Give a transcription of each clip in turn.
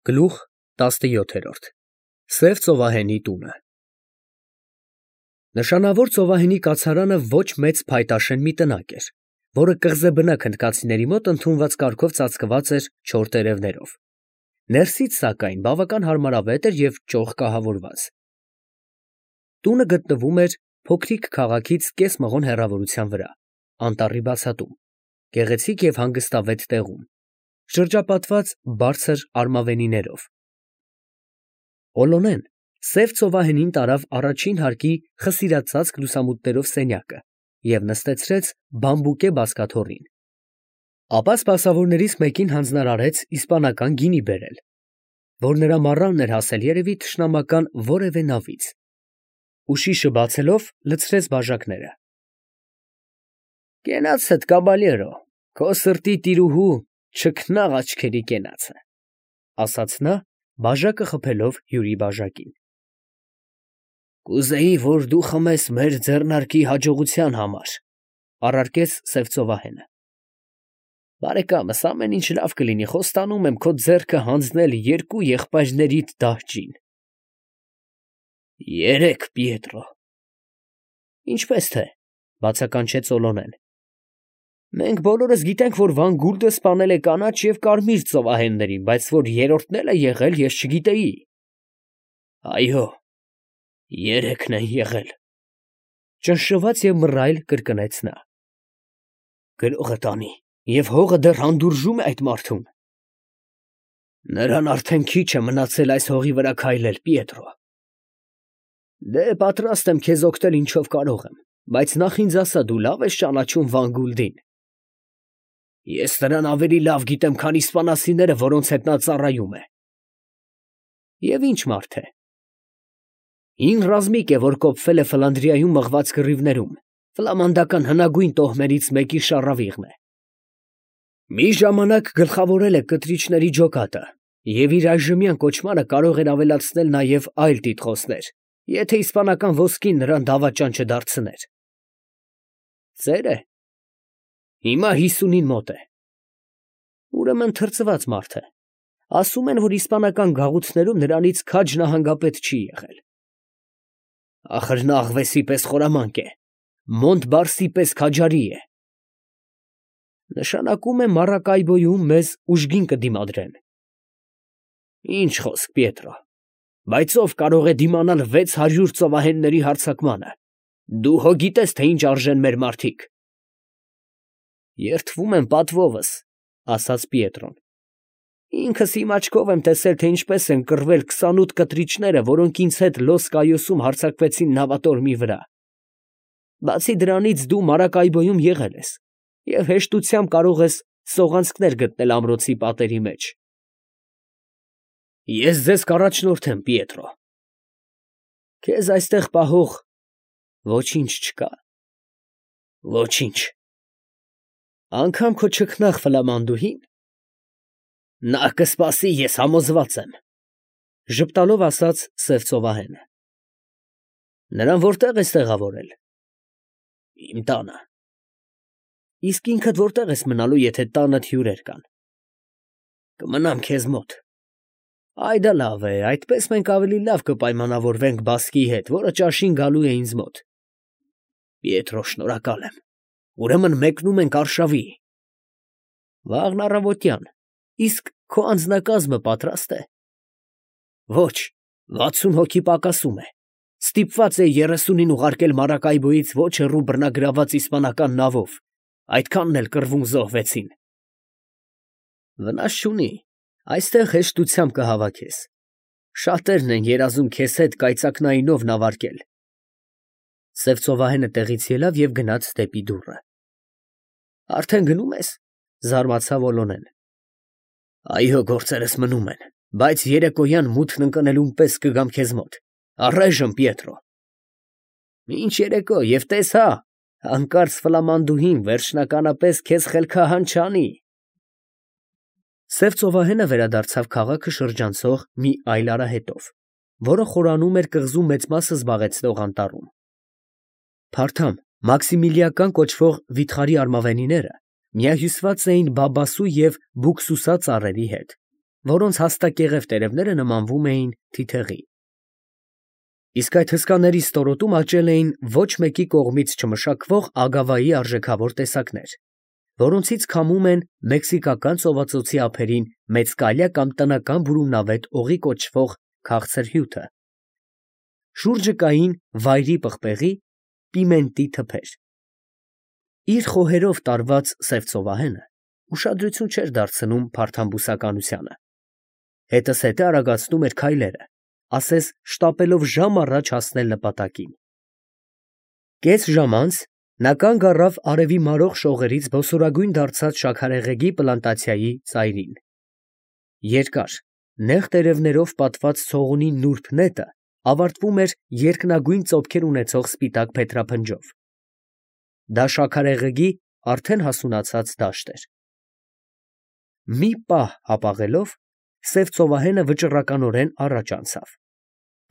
Գլուխ 17 Սև ծովահենի տունը Նշանավոր ծովահենի կացարանը ոչ մեծ փայտաշեն մի տնակ էր, որը կղզեբնակ հնդկացիների մոտ ընդունված կարգով ծածկված էր չոր տերևներով. ներսից, սակայն, բավական հարմարավետ էր և ճոխ կահավորված։ Տունը գտնվում էր փոքրիկ քաղաքից կես մղոն հեռավորության վրա, անտառի բացատում, գեղեցիկ և հանգստավետ տեղում, շրջապատված բարձր արմավենիներով։ Օլոնեն սև ծովահենին տարավ առաջին հարկի խսիրածածկ լուսամուտներով սենյակը և նստեցրեց բամբուկե բազկաթոռին, ապա սպասավորներից մեկին հանձնարարեց իսպանական գինի բերել, որ նրա մառանն էր հասել երևի թշնամական որևէ նավից, ուշիշը բացելով լցրեց բաժակները։ «Կենացդ, կաբալյերո, քո սրտի տիրուհու չքնաղ աչքերի կենացը», ֊ ասաց նա, բաժակը խփելով հյուրի բաժակին։ «Կուզեի, որ դու խմես մեր ձեռնարկի հաջողության համար, ֊ առարկեց սև ծովահենը։ Բարեկամս, ամեն ինչ լավ կլինի, խոստանում եմ քո ձեռքը հանձնել երկու եղբայրներիդ դահճին։ Երեք, Պիետրո։ Ինչպես թե, ֊ բացականչեց Օլոնեն։ Մենք բոլորս գիտենք, որ Վան Գուլդը սպանել է կանաչ և կարմիր ծովահեններին, բայց որ երրորդն էլ է եղել, ես չգիտեի։ Այո, երեքն են եղել, ֊ ճնշված և մռայլ կրկնեց նա։ Գրողը տանի, և հողը դեռ հանդուրժում է այդ մարդուն։ Նրան արդեն քիչ է մնացել այս հողի վրա քայլել, Պիետրո։ Դե, պատրաստ եմ քեզ օգնել ինչով կարող եմ, բայց նախ ինձ ասա, դու լավ ես ճանաչում Վան Գուլդին։ Ես նրան ավելի լավ գիտեմ, քան իսպանացիները, որոնց հետ նա ծառայում է։ Եվ ի՞նչ մարդ է։ Հին ռազմիկ է, որ կոփվել է Ֆլանդրիայում մղված կռիվներում, ֆլամանդական հնագույն տոհմերից մեկի շառավիղն է։ Մի ժամանակ գլխավորել է կտրիչների ջոկատը և իր այժմյան կոչմանը կարող էր ավելացնել նաև այլ տիտղոսներ, եթե իսպանական ոսկին նրան դավաճան չդարձներ։ Ծեր է։ Հիմա 50-ին մոտ է։ Ուրեմն թրծված մարդ է։ Ասում են, որ իսպանական գաղութներում նրանից քաջ նահանգապետ չի եղել։ Ախր նա աղվեսի պես խորամանկ է, Մոնտբարսի պես քաջարի է։ Նշանակում է Մարակայբոյում մեզ ուժգին կդիմադրեն։ Ինչ խոսք, Պիետրո, բայց ով կարող է դիմանալ 600 ծովահենների հարձակմանը։ Դու հո գիտես, թե ինչ արժեն մեր մարդիկ։ Երդվում եմ պատվովս, ֊ ասաց Պիետրոն։ Ինքս իմ աչքով եմ տեսել, թե ինչպես են կռվել 28 կտրիչները, որոնք ինձ հետ Լոս Կայոսում հարձակվեցին նավատորմի վրա։ Բացի դրանից դու Մարակայբոյում եղել ես և հեշտությամբ կարող ես սողանցքներ գտնել ամրոցի պատերի մեջ։ Ես ձեզ կառաջնորդեմ, Պիետրո։ Քեզ այստեղ պահող ոչինչ չկա։ Ոչինչ։ Անգամ քո չքնաղ ֆլամանդուհին։ Նա կսպասի, ես համոզված եմ, ֊ ժպտալով ասաց սև ծովահենը։ Նրան որտե՞ղ ես տեղավորել։ Իմ տանը։ Իսկ ինքդ որտե՞ղ ես մնալու, եթե տանդ հյուրեր կան։ Կմնամ քեզ մոտ։ Այդ լավ է, այդպես մենք ավելի լավ կպայմանավորվենք բասկի հետ, որը ճաշին գալու է ինձ մոտ։ Պիետրո, շնորհակալ եմ։ Ուրեմն մեկնում ենք արշավի։ Վաղն առավոտյան։ Իսկ քո անձնակազմը պատրաստ է։ Ոչ, 60 հոգի պակասում է։ Ստիպված է 30-ին ուղարկել Մարակայբոյից ոչ հեռու բռնագրավված իսպանական նավով, այդքանն էլ կռվում զոհվեցին։ Վնաս չունի, այստեղ հեշտությամբ կհավաքես։ Շատերն են երազում քեզ հետ կայծակնայինով նավարկել։ Սև ծովահենը տեղից ելավ և գնաց դեպի դուռը։ Արդեն գնում ես, ֊ զարմացավ Օլոնեն։ Այո, գործերս մնում են, բայց երեկոյան մութն ընկնելուն պես կգամ քեզ մոտ։ Առայժմ, Պիետրո։ Ինչ երեկո, և տես հա, հանկարծ ֆլամանդուհին վերջնականապես քեզ խելքահան չանի։ Սև ծովահենը վերադարձավ քաղաքը շրջանցող մի այլ արահետով, որը խորանում էր կղզու մեծ մասը զբաղեցնող անտառում։ Փարթամ, Մաքսիմիլիական կոչվող վիթխարի արմավենիները միահյուսված էին բաբասու և բուկսուսա ծառերի հետ, որոնց հաստակեղև տերևները նմանվում էին թիթեղի։ Իսկ այդ հսկաների ստորոտում աճել էին ոչ մեկի կողմից չմշակվող ագավայի արժեքավոր տեսակներ, որոնցից քամում են մեքսիկական ծովածոցի ափերին մեծկալյա կամ տնական բուրումնավետ օղի կոչվող քաղցր հյութը։ Շուրջը կային վայրի պղպեղի, պիմենտի թփեր։ Իր խոհերով տարված սև ծովահենը ուշադրություն չէր դարձնում փարթամբուսականությանը։ Հետզհետե արագացնում էր քայլերը, ասես շտապելով ժամ առաջ հասնել նպատակին։ Կես ժամ անց նա կանգ առավ արևի մարող շողերից բոսորագույն դարձած շաքարեղեգի պլանտացիայի ծայրին։ Երկար, նեղ տերևներով պատված ցողունի նուրբ նետը ավարտվում էր երկնագույն ծոփքեր ունեցող սպիտակ փետրափնջով։ Դա շաքարեղեգի արդեն հասունացած դաշտ էր։ Մի պահ հապաղելով, սև ծովահենը վճռականորեն առաջ անցավ,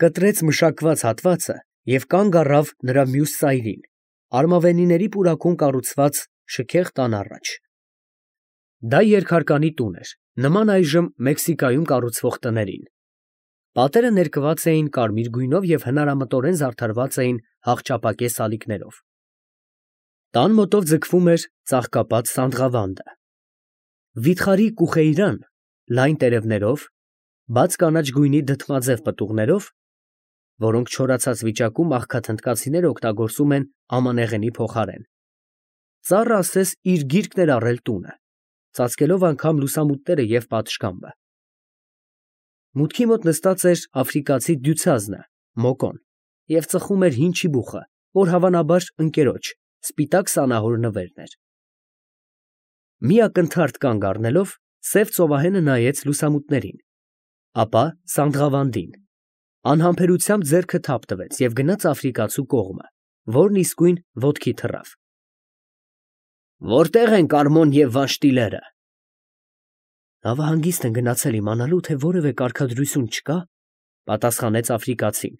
կտրեց մշակված հատվածը և կանգ առավ նրա մյուս ծայրին, արմավենիների պուրակում կառուցված շքեղ տան առաջ։ Դա երկհարկանի տուն էր, նման այժմ Մեքսիկայում կառուցվող տներին։ Պատերը ներկված էին կարմիր գույնով և հնարամտորեն զարդարված էին հաղճապակե սալիկներով։ Տան մոտով ձգվում էր ծաղկապատ սանդղավանդը։ Վիթխարի կուխեյրան լայն տերևներով, բաց կանաչ գույնի դդմաձև պտուղներով, որոնք չորացած վիճակում աղքաթնդկացիները օգտագործում են ամանեղենի փոխարեն, ծառը ասես իր գիրկն էր առել տունը, ծածկելով անգամ լուսամուտները և պատշգամբը։ Մուտքի մոտ նստած էր աֆրիկացի դյուցազնը, Մոկոն, և ծխում էր հին չիբուխը, որ հավանաբար ընկերոջ, սպիտակ սանահոր նվերն էր։ Մի ակնթարթ կանգ առնելով, սև ծովահենը նայեց լուսամուտներին, ապա սանդղավանդին, անհամբերությամբ ձեռքը թափ տվեց և գնաց աֆրիկացու կողմը, որն իսկույն ոտքի թռավ։ Որտե՞ղ են Կարմոն և Վանշտիլերը։ Նավահանգիստ են գնացել իմանալու, թե որևէ կարգադրություն չկա, պատասխանեց աֆրիկացին։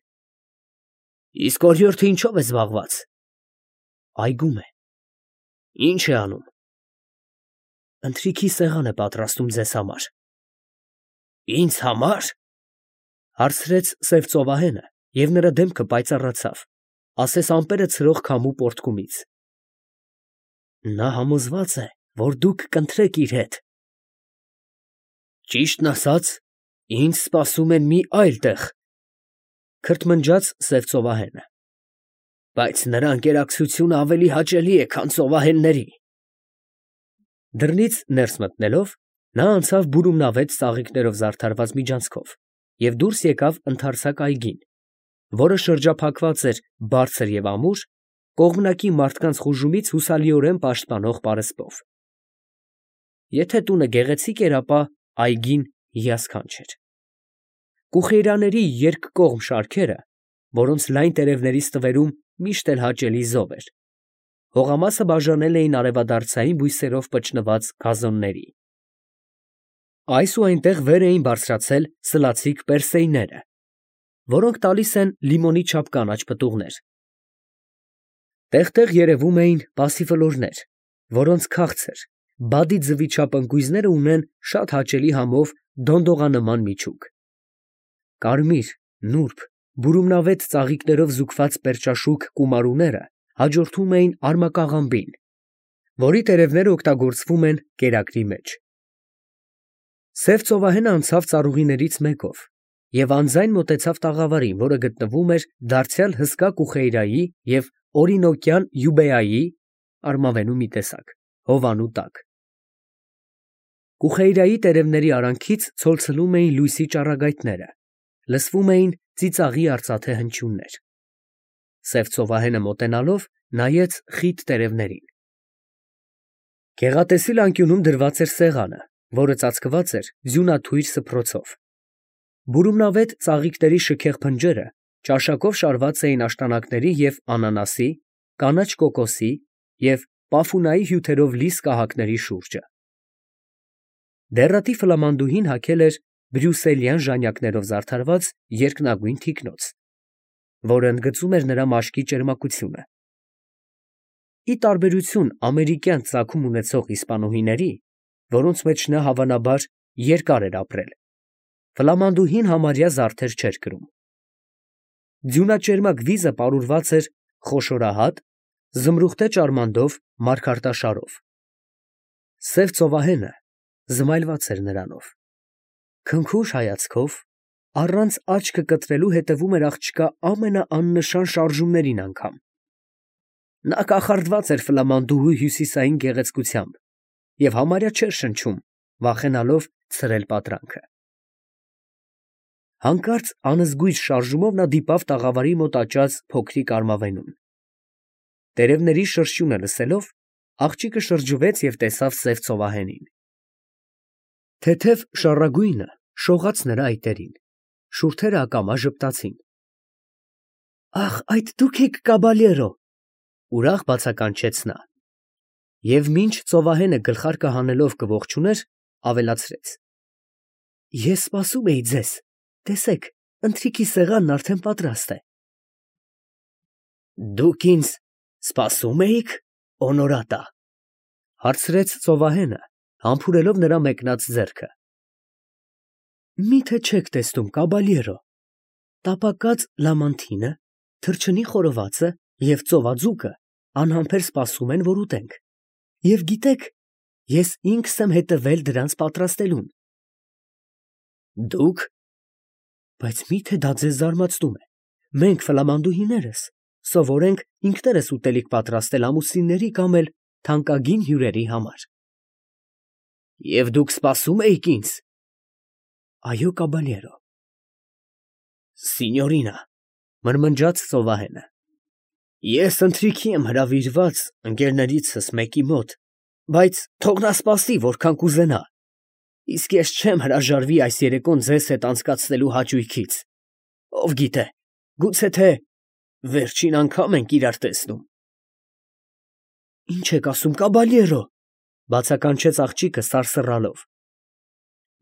Իսկ օրիորդը ինչով է զբաղված։ Այգում է։ Ինչ է անում։ Ընթրիքի սեղան է պատրաստում ձեզ համար։ Ինձ համար։ Հարցրեց սև ծովահենը, և նրա դեմքը պայծառացավ, ասես ամպերը ցրող քամու պոռթկումից։ Նա համոզված է, որ դուք կընթրեք իր հետ։ Ճիշտն ասած, ինձ սպասում են մի այլ տեղ, քրթմնջաց սև ծովահենը, բայց նրա ընկերակցությունը ավելի հաճելի է, քան ծովահենների։ Դռնից ներս մտնելով, նա անցավ բուրումնավետ ծաղիկներով զարդարված միջանցքով և դուրս եկավ ընդարձակ այգին, որը շրջափակված էր բարձր և ամուր, կողմնակի մարդկանց խուժումից հուսալիորեն պաշտպանող պարսպով։ Եթե տունը գեղեցիկ էր, ապա այգին հիասքանչ էր։ Կուխեյրաների երկկողմ շարքերը, որոնց լայն տերևների ստվերում միշտ էլ հաճելի զով էր, հողամասը բաժանել էին արևադարձային բույսերով պճնված գազոնների։ Այս ու այնտեղ վեր էին բարձրացել սլացիկ պերսեյները, որոնք տալիս են լիմոնի չափ կանաչ պտուղներ։ Տեղ֊տեղ երևում էին պասիֆլորներ, որոնց քաղցր, բադի ձվի չափ ընկույզները ունեն շատ հաճելի համով դոնդողանման միջուկ։ Կարմիր, նուրբ, բուրումնավետ ծաղիկներով զուգված պերճաշուք կումարուները հաջորդում էին արմակաղամբին, որի տերևները օգտագործվում են կերակրի մեջ։ Սև ծովահենը անցավ ծառուղիներից մեկով և անձայն մոտեցավ տաղավարին, որը գտնվում էր դարձյալ հսկա կուխեյրայի և օրինոկյան յուբեայի (արմավենու մի տեսակ) հովանու տակ։ Կուխեյրայի տերևների արանքից ցոլցլում էին լույսի ճառագայթները, լսվում էին ծիծաղի արծաթե հնչյուններ։ Սև ծովահենը մոտենալով նայեց խիտ տերևներին։ Գեղատեսիլ անկյունում դրված էր սեղանը, որը ծածկված էր ձյունաթույր սփռոցով։ Բուրումնավետ ծաղիկների շքեղ փնջերը ճաշակով շարված էին աշտանակների և անանասի, կանաչ կոկոսի և պաֆունայի հյութերով լի սկահակների շուրջը։ Դեռատի ֆլամանդուհին հագել էր բրյուսելյան ժանյակներով զարդարված երկնագույն թիկնոց, որը ընդգծում էր նրա մաշկի ճերմակությունը։ Ի տարբերություն ամերիկյան ծագում ունեցող իսպանուհիների, որոնց մեջ նա հավանաբար երկար էր ապրել, Ֆլամանդուհին համարյա զարդեր չէր կրում։ Ձյունաճերմակ վիզը պարուրված էր խոշորահատ, զմրուխտե ճարմանդով, մարգարտաշարով։ Սև ծովահենը զմայլված էր նրանով։ Քնքուշ հայացքով, առանց աչքը կտրելու հետևում էր աղջկա ամենաաննշան շարժումներին անգամ։ Նա կախարդված էր ֆլամանդուհու հյուսիսային գեղեցկությամբ և համարյա չէր շնչում, վախենալով ցրել պատրանքը։ Հանկարծ անզգույշ շարժումով նա դիպավ տաղավարի մոտ աճած փոքրիկ արմավենուն։ Տերևների շրշյունը լսելով, աղջիկը շրջվեց և տեսավ սև ծովահենին։ Թեթև շառագույնը շողաց նրա այտերին, շուրթերը ակամա ժպտացին։ «Ախ, այդ դուք եք, կաբալյերո», ուրախ բացականչեց նա։ Եվ մինչ ծովահենը գլխարկը հանելով կողջուներ, ավելացրեց. «Ես սպասում էի ձեզ, տեսեք, ընթրիքի սեղանն արդեն պատրաստ է»։ «Դուք ինձ սպասում էիք, օնորատա», հարցրեց ծովահենը, համբուրելով նրա մեկնած ձեռքը։ «Մի՞թե չեք տեսնում, կաբալյերո, տապակած լամանթինը, թռչնի խորովածը և ծովաձուկը անհամբեր սպասում են, որ ուտենք, և գիտեք, ես ինքս եմ հետևել դրանց պատրաստելուն»։ «Դուք… բայց մի՞թե դա ձեզ զարմացնում է, մենք ֆլամանդուհիներս սովոր ենք ինքներս ուտելիք պատրաստել ամուսինների կամ էլ թանկագին հյուրերի համար»։ «Եվ դուք սպասում էիք ինձ»։ «Այո, կաբալյերո»։ «Սինյորինա», մրմնջաց ծովահենը, «ես ընթրիքի եմ հրավիրված ընկերներիցս մեկի մոտ, բայց թող նա սպասի, որքան կուզենա, իսկ ես չեմ հրաժարվի այս երեկոն ձեզ հետ անցկացնելու հաճույքից, ով գիտե, գուցե թե վերջին անգամ ենք իրար տեսնում»։ «Ի՞նչ եք ասում, կաբալյերո», բացականչեց աղջիկը սարսռալով։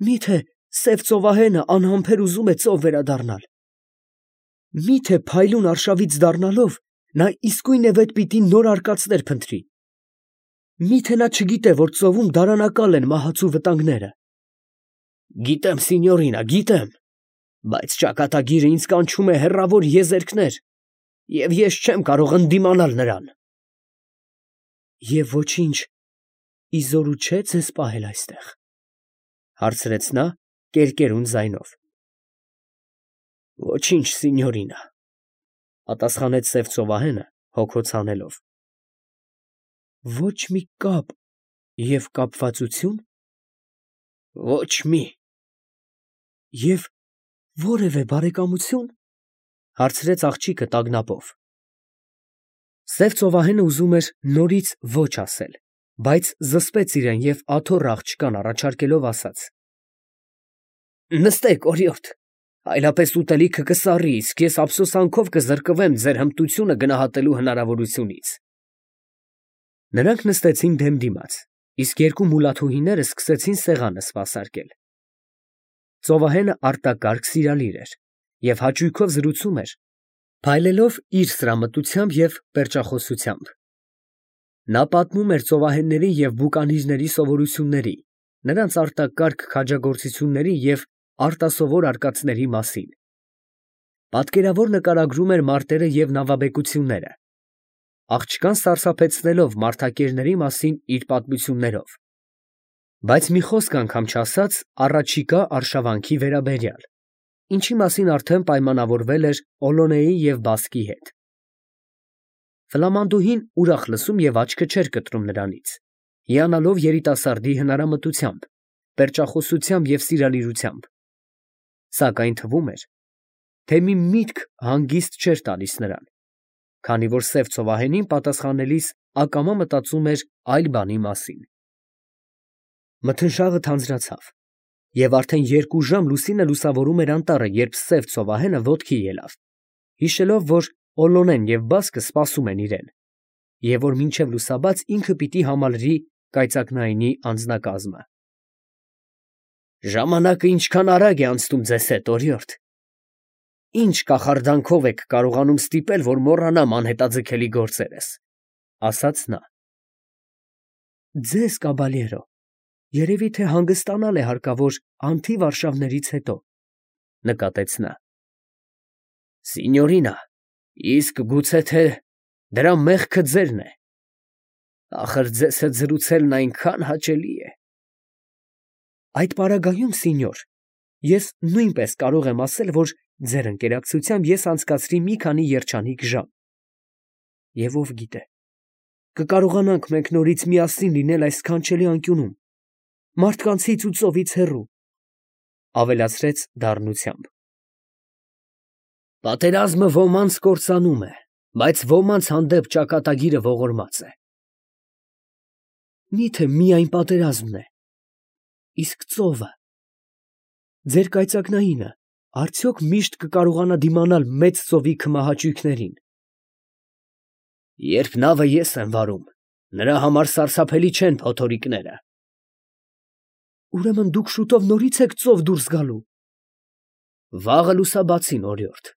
«Մի՞թե սև ծովահենը անհամբեր ուզում է ծով վերադառնալ։ Մի՞թե փայլուն արշավից դառնալով նա իսկույնևեթ պիտի նոր արկածներ փնտրի։ Մի՞թե նա չգիտե, որ ծովում դարանակալ են մահացու վտանգները»։ «Գիտեմ, սինյորինա, գիտեմ, բայց ճակատագիրը ինձ կանչում է հեռավոր եզերքներ, և ես չեմ կարող ընդդիմանալ նրան»։ «Եվ ոչինչ իզորու չէ ձեզ պահել այստեղ», հարցրեց նա կերկերուն ձայնով։ «Ոչինչ, սինյորինա», պատասխանեց սև ծովահենը հոգոց հանելով։ «Ոչ մի կապ և կապվածությո՞ւն»։ «Ոչ մի»։ «Եվ որևէ բարեկամությո՞ւն», հարցրեց աղջիկը տագնապով։ Սև ծովահենը ուզում էր նորից ոչ ասել, բայց զսպեց իրեն և աթոռ աղջկան առաջարկելով ասաց. «Նստեք, օրիորդ, այլապես ուտելիքը կսառի, իսկ ես ափսոսանքով կզրկվեմ ձեր հմտությունը գնահատելու հնարավորությունից»։ Նրանք նստեցին դեմ դիմաց, իսկ երկու մուլաթուհիները սկսեցին սեղանը սպասարկել։ Ծովահենը արտակարգ սիրալիր էր և հաճույքով զրուցում էր, փայլելով իր սրամտությամբ և պերճախոսությամբ։ Նա պատմում էր ծովահենների և բուկանիրների սովորությունների, նրանց արտակարգ քաջագործությունների և արտասովոր արկածների մասին։ Պատկերավոր նկարագրում էր մարտերը և նավաբեկությունները, աղջկան սարսափեցնելով մարդակերների մասին իր պատմություններով, բայց մի խոսք անգամ չասաց առաջիկա արշավանքի վերաբերյալ, ինչի մասին արդեն պայմանավորվել էր Օլոնեի և Բասկի հետ։ Ֆլամանդուհին ուրախ լսում և աչքը չէր կտրում նրանից, հիանալով երիտասարդի հնարամտությամբ, պերճախոսությամբ և սիրալիրությամբ, սակայն թվում էր, թե մի միտք հանգիստ չէր տալիս նրան, քանի որ սև ծովահենին պատասխանելիս ակամա մտածում էր այլ բանի մասին։ Մթնշաղը թանձրացավ, և արդեն 2 ժամ լուսինը լուսավորում էր անտառը, երբ սև ծովահենը ոտքի ելավ, հիշելով, որ Օլոնեն և Բասկը սպասում են իրեն, և որ մինչև լուսաբաց ինքը պիտի համալրի կայծակնայինի անձնակազմը։ «Ժամանակը ինչքան արագ է անցնում ձեզ հետ, օրիորդ, ինչ կախարդանքով եք կարողանում ստիպել, որ մոռանամ անհետաձգելի գործերս», ասաց նա։ «Ձեզ, կաբալյերո, երևի թե հանգստանալ է հարկավոր անթիվ արշավներից հետո», նկատեց նա։ Սինյորինա, իսկ գուցե թե դրա մեղքը ձերն է։ Ախր ձեզ հետ զրուցելն այնքան հաճելի է։ Այդ պարագայում, սինյոր, ես նույնպես կարող եմ ասել, որ ձեր ընկերակցությամբ ես անցկացրի մի քանի երջանիկ ժամ։ Եվ ով գիտե, կկարողանանք մենք նորից միասին լինել այս սքանչելի անկյունում, մարդկանցից ու ծովից հեռու, ավելացրեց դառնությամբ։ Պատերազմը ոմանց կործանում է, բայց ոմանց հանդեպ ճակատագիրը ողորմած է։ Միթե միայն պատերազմն է, իսկ ծովը, ձեր կայծակնայինը արդյոք միշտ կկարողանա դիմանալ մեծ ծովի քմահաճույքներին։ Երբ նավը ես եմ վարում, նրա համար սարսափելի չեն փոթորիկները։ Ուրեմն դուք շուտով նորից եք ծով դուրս գալու։ Վաղը լուսաբացին, օրիորդ։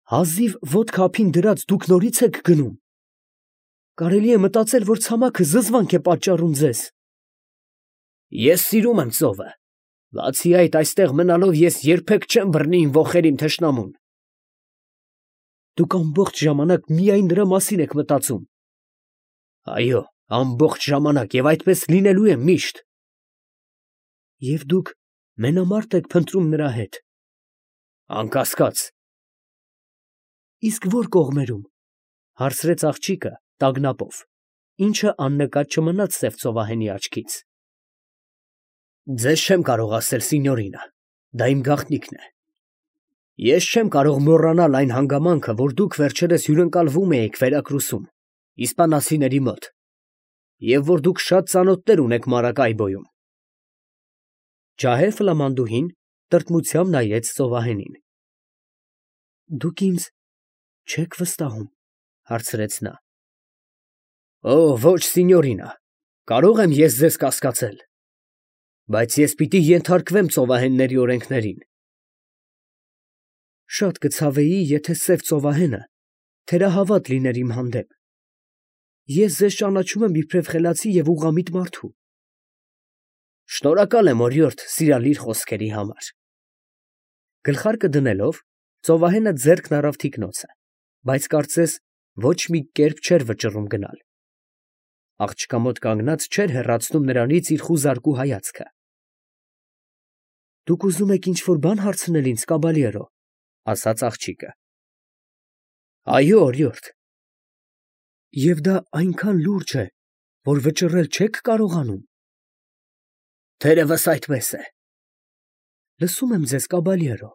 Հազիվ ոտք ափին դրած դուք նորից եք գնում։ Կարելի է մտածել, որ ցամաքը զզվանք է պատճառում ձեզ։ Ես սիրում եմ ծովը, բացի այդ այստեղ մնալով ես երբեք չեմ բռնի իմ ոխերիմ թշնամուն։ Դուք ամբողջ ժամանակ միայն նրա մասին եք մտածում։ Այո, ամբողջ ժամանակ և այդպես լինելու է միշտ։ Եվ դուք մենամարտ եք փնտրում նրա հետ։ Անկասկած։ Իսկ ո՞ր կողմերում, հարցրեց աղջիկը տագնապով, ինչը աննկատ չմնաց սև ծովահենի աչքից։ Ձեզ չեմ կարող ասել, սինյորինա, դա իմ գաղտնիքն է։ Ես չեմ կարող մոռանալ այն հանգամանքը, որ դուք վերջերս հյուրընկալվում էիք Վերակրուսում, իսպանացիների մոտ, և որ դուք շատ ծանոթներ ունեք Մարակայբոյում։ Ջահել ֆլամանդուհին տրտմությամբ նայեց ծովահենին։ Դուք ինձ չեք վստահում, հարցրեց նա։ Օ, ոչ, սինյորինա, կարող եմ ես ձեզ կասկածել, բայց ես պիտի ենթարկվեմ ծովահենների օրենքներին։ Շատ կցավեի, եթե սև ծովահենը թերահավատ լիներ իմ հանդեպ։ Ես ձեզ ճանաչում եմ իբրև խելացի և ուղղամիտ մարդու։ Շնորհակալ եմ, օրիորդ, սիրալիր խոսքերի համար։ Գլխարկը դնելով, ծովահենը ձեռքն առավ թիկնոցը, բայց կարծես ոչ մի կերպ չէր վճռում գնալ։ Աղջկա մոտ կանգնած չէր հեռացնում նրանից իր խուզարկու հայացքը։ Դուք ուզում եք ինչ-որ բան հարցնել ինձ, կաբալյերո, ասաց աղջիկը։ Այո, օրիորդ։ Եվ դա այնքան լուրջ է, որ վճռել չեք կարողանում։ Թերևս այդպես է։ Լսում եմ ձեզ, կաբալյերո։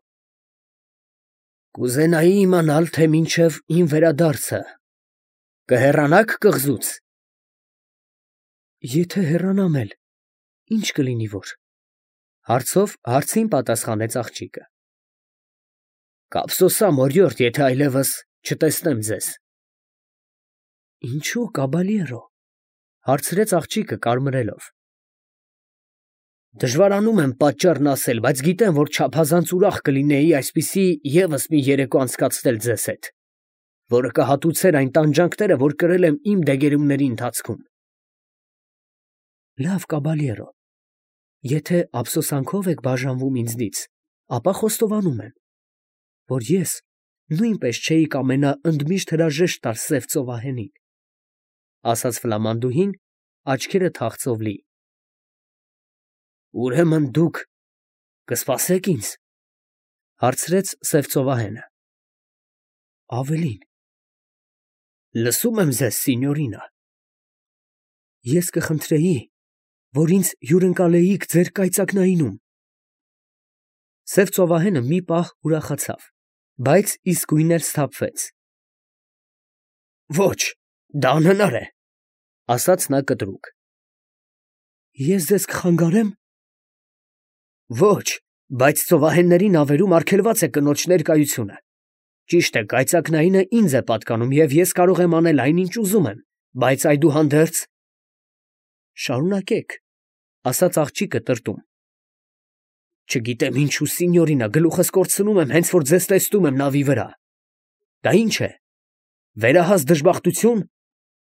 Կուզենայի իմանալ, թե մինչև իմ վերադարձը կհեռանաք կղզուց։ Եթե հեռանամ էլ, ինչ կլինի որ։ Հարցով հարցին պատասխանեց աղջիկը։ Կափսոսամ, օրիորդ, եթե այլևս չտեսնեմ ձեզ։ Ինչու, կաբալյերո, հարցրեց աղջիկը կարմրելով։ Դժվարանում եմ պատճառն ասել, բայց գիտեմ, որ չափազանց ուրախ կլինեի այսպիսի ևս մի երեկո անցկացնել ձեզ հետ, որը կհատուցեր այն տանջանքները, որ կրել եմ իմ դեգերումների ընթացքում։ Լավ, կաբալյերո, եթե ափսոսանքով եք բաժանվում ինձնից, ապա խոստովանում եմ, որ ես նույնպես չէի կամենա ընդմիշտ հրաժեշտ տալ սև ծովահենին, ասաց ֆլամանդուհին, աչքերը թախծով լի։ Ուրեմն դուք կսպասեք ինձ, հարցրեց սև ծովահենը։ Ավելին։ Լսում եմ ձեզ, սինյորինա։ Ես կխնդրեի, որ ինձ հյուրընկալեիք ձեր կայծակնայինում։ Սև ծովահենը մի պահ ուրախացավ, բայց իսկույն էլ սթափվեց։ Ոչ, դա անհնար է, ասաց նա կտրուկ։ Ես ձեզ կխանգարեմ։ Ոչ, բայց ծովահենների նավերում արգելված է կնոջ ներկայությունը։ Ճիշտ է, կայծակնայինը ինձ է պատկանում, և ես կարող եմ անել այն, ինչ ուզում եմ, բայց այդուհանդերձ… Շարունակեք, ասաց աղջիկը տրտում։ Չգիտեմ ինչու, սինյորինա, գլուխս կորցնում եմ, հենց որ ձեզ տեսնում եմ նավի վրա։ Դա ինչ է, վերահաս դժբախտություն,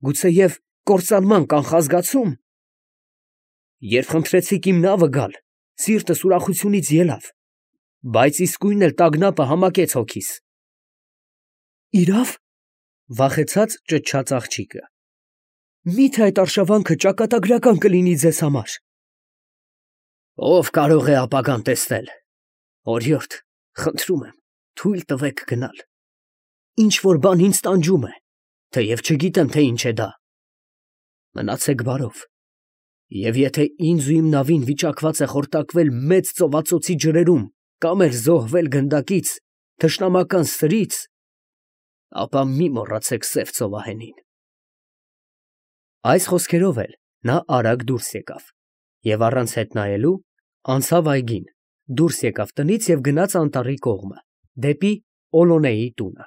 գուցեև կործանման կանխազգացում։ Երբ խնդրեցիք իմ նավը գալ, սիրտս ուրախությունից ելավ։ բայց իսկույն էլ տագնապը համակեց հոգիս։ Իրավ, վախեցած ճչաց աղջիկը։ Միթե այդ արշավանքը ճակատագրական կլինի ձեզ համար։ Ով կարող է ապագան տեսնել։ Օրիորդ, խնդրում եմ, թույլ տվեք գնալ։ Ինչ որ բան ինձ տանջում է, թեև չգիտեմ, թե ինչ է դա։ Մնացեք բարով։ Եվ եթե ինձ ու իմ նավին վիճակված է խորտակվել մեծ ծովածոցի ջրերում կամ էլ զոհվել գնդակից, թշնամական սրից, ապա մի մոռացեք սև ծովահենին։ Այս խոսքերով էլ նա արագ դուրս եկավ և առանց հետ նայելու անցավ այգին, դուրս եկավ տնից և գնաց անտառի կողմը, դեպի Օլոնեի տունը։